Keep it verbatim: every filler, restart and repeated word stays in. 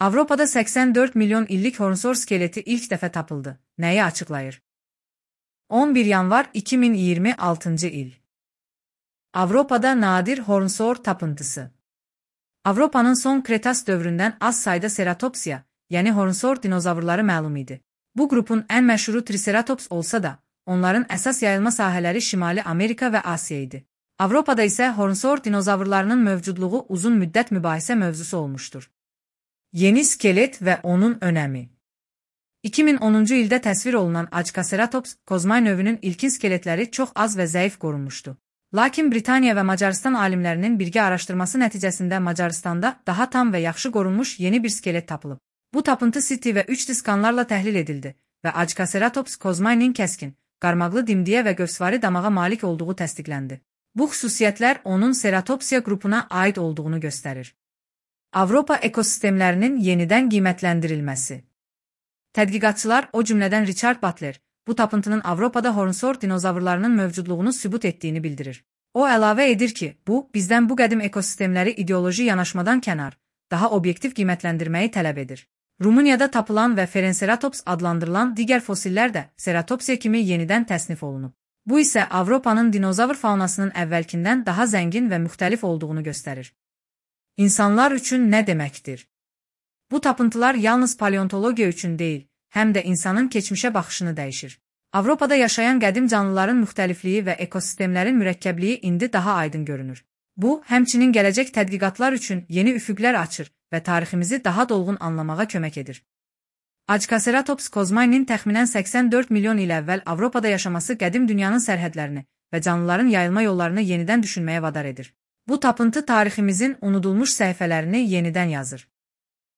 Avropada səksən dörd milyon illik hornsor skeleti ilk dəfə tapıldı. Nəyi açıqlayır? on bir yanvar iki min iyirmi altıncı il. Avropada nadir hornsor tapıntısı. Avropanın son Kretas dövründən az sayda Ceratopsia, yəni hornsor dinozavrları məlum idi. Bu qrupun ən məşhuru Triceratops olsa da, onların əsas yayılma sahələri Şimali Amerika və Asiya idi. Avropada isə hornsor dinozavrlarının mövcudluğu uzun müddət mübahisə mövzusu olmuşdur. Yeni skelet və onun önəmi. iki min onuncu ildə təsvir olunan Açkaceratops kozmay növünün ilkin skeletləri çox az və zəif qorunmuşdu. Lakin Britaniya və Macarıstan alimlərinin birgə araşdırması nəticəsində Macaristanda daha tam və yaxşı qorunmuş yeni bir skelet tapılıb. Bu tapıntı C T və üç D skanlarla təhlil edildi və Açkaceratops kozmaynin kəskin, qarmaqlı dimdiyə və gövsvari damağa malik olduğu təsdiqləndi. Bu xüsusiyyətlər onun Ceratopsia qrupuna aid olduğunu göstərir. Avropa ekosistemlərinin yenidən qiymətləndirilməsi. Tədqiqatçılar, o cümlədən Richard Butler, bu tapıntının Avropada hornsor dinozavrlarının mövcudluğunu sübut etdiyini bildirir. O əlavə edir ki, bu, bizdən bu qədim ekosistemləri ideoloji yanaşmadan kənar, daha obyektiv qiymətləndirməyi tələb edir. Rumuniyada tapılan və Ferenceratops adlandırılan digər fosillər də Ceratopsia kimi yenidən təsnif olunub. Bu isə Avropanın dinozavr faunasının əvvəlkindən daha zəngin və müxtəlif olduğunu göstərir. İnsanlar üçün nə deməkdir? Bu tapıntılar yalnız paleontologiya üçün deyil, həm də insanın keçmişə baxışını dəyişir. Avropada yaşayan qədim canlıların müxtəlifliyi və ekosistemlərin mürəkkəbliyi indi daha aydın görünür. Bu, həmçinin gələcək tədqiqatlar üçün yeni üfüqlər açır və tariximizi daha dolğun anlamağa kömək edir. Açkaceratops kozmaynin təxminən səksən dörd milyon il əvvəl Avropada yaşaması qədim dünyanın sərhədlərini və canlıların yayılma yollarını yenidən düşünməyə vadar edir. Bu tapıntı tariximizin unudulmuş səhifələrini yenidən yazır.